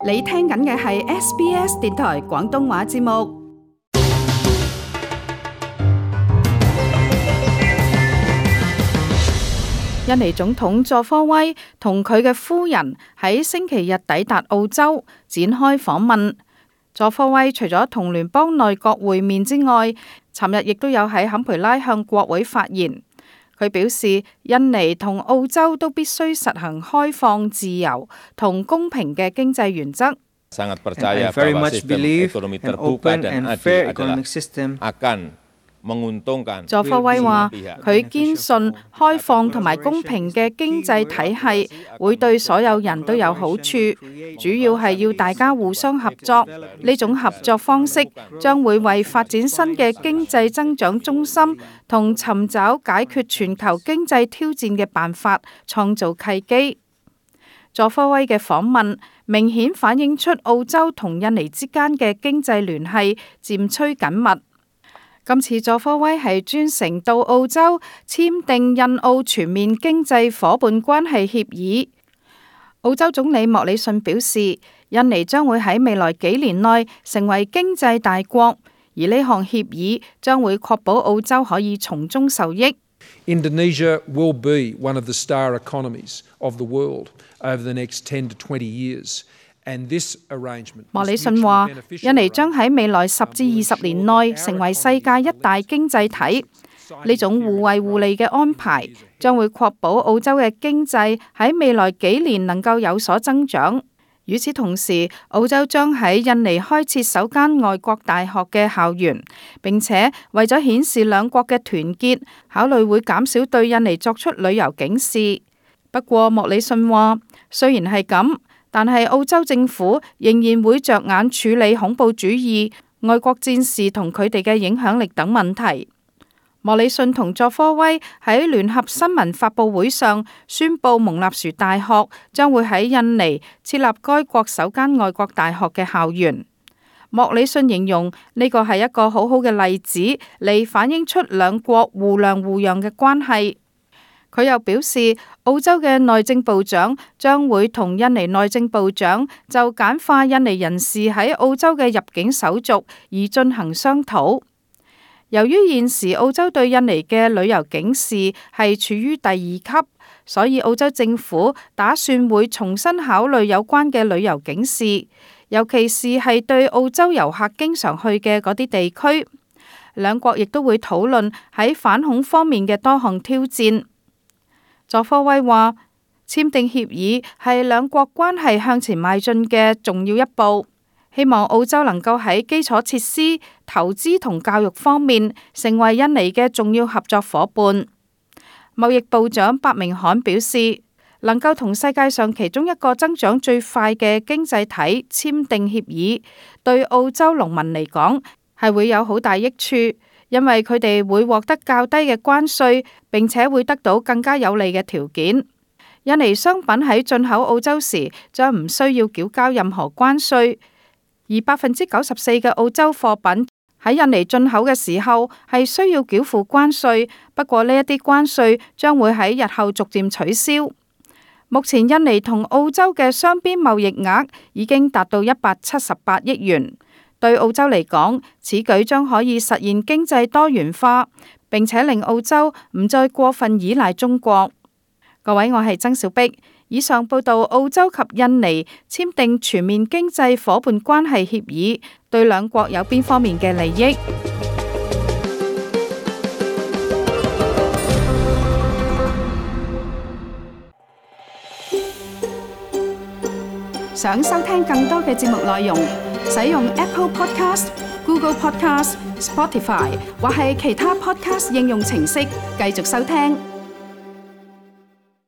你聽緊嘅係 SBS 電台廣東話節目。印尼總統佐科威同佢嘅夫人喺星期日抵達澳洲，展開訪問。佐科威除咗同聯邦內閣會面之外，尋日亦都有喺坎培拉向國會發言。佢表示，印尼同澳洲都必須實行開放、自由同公平嘅經濟原則。Sangat percaya bahwa sistem ekonomi terbuka dan adil adalah akan menguntungkan。佐科威話：佢堅信開放同埋公平嘅經濟體系會對所有人都有好處，主要係要大家互相合作。呢種合作方式將會為發展新嘅經濟增長中心同尋找解決全球經濟挑戰嘅辦法創造契機。佐科威嘅訪問明顯反映出澳洲同印尼之間嘅經濟聯繫漸趨緊密。今次佐科威係專程到澳洲簽訂印澳全面經濟夥伴關係協議。澳洲總理莫里遜表示，印尼將會喺未來幾年內成為經濟大國，而呢項協議將會確保澳洲可以從中受益。Indonesia will be one of the star economies of the world over the next 10 to 20 years. 莫里遜話：印尼將喺未來10至20年內成為世界一大經濟體。呢種互惠互利嘅安排將會確保澳洲嘅經濟喺未來幾年能夠有所增長。與此同時，澳洲將喺印尼開設首間外國大學嘅校園，並且為咗顯示兩國嘅團結，考慮會減少對印尼作出旅遊警示。不過，莫里遜話：雖然係咁，但係澳洲政府仍然會着眼處理恐怖主義、外國戰士同佢哋嘅影響力等問題。莫里遜同佐科威喺聯合新聞發佈會上宣布，蒙納殊大學將會喺印尼設立該國首間外國大學嘅校園。莫里遜形容呢個係一個好好嘅例子，嚟反映出兩國互諒互讓嘅關係。佢又表示，澳洲嘅內政部長將會同印尼內政部長就簡化印尼人士喺澳洲嘅入境手續而進行商討。由於現時澳洲對印尼嘅旅遊警示係處於第2級，所以澳洲政府打算會重新考慮有關嘅旅遊警示，尤其是係對澳洲遊客經常去嘅嗰啲地區。兩國亦都會討論喺反恐方面嘅多項挑戰。佐科威話：簽訂協議係兩國關係向前邁進嘅重要一步，希望澳洲能夠喺基礎設施、投資同教育方面成為印尼嘅重要合作夥伴。貿易部長白明罕表示，能夠同世界上其中一個增長最快嘅經濟體簽訂協議，對澳洲農民嚟講係會有好大益處。因為佢哋會獲得較低嘅關稅，並且會得到更加有利嘅條件。印尼商品喺進口澳洲時將唔需要繳交任何關稅，而94%嘅澳洲貨品喺印尼進口嘅時候係需要繳付關稅。不過呢一啲關稅將會喺日後逐漸取消。目前印尼同澳洲嘅雙邊貿易額已經達到178億元。對澳洲嚟講，此舉將可以實現經濟多元化，並且令澳洲唔再過分依賴中國。各位，我係曾小碧。以上報道澳洲及印尼簽訂全面經濟夥伴關係協議，對兩國有邊方面嘅利益？想收聽更多嘅節目內容，使用 Apple Podcast、Google Podcast、Spotify 或係其他 Podcast 應用程式繼續收聽。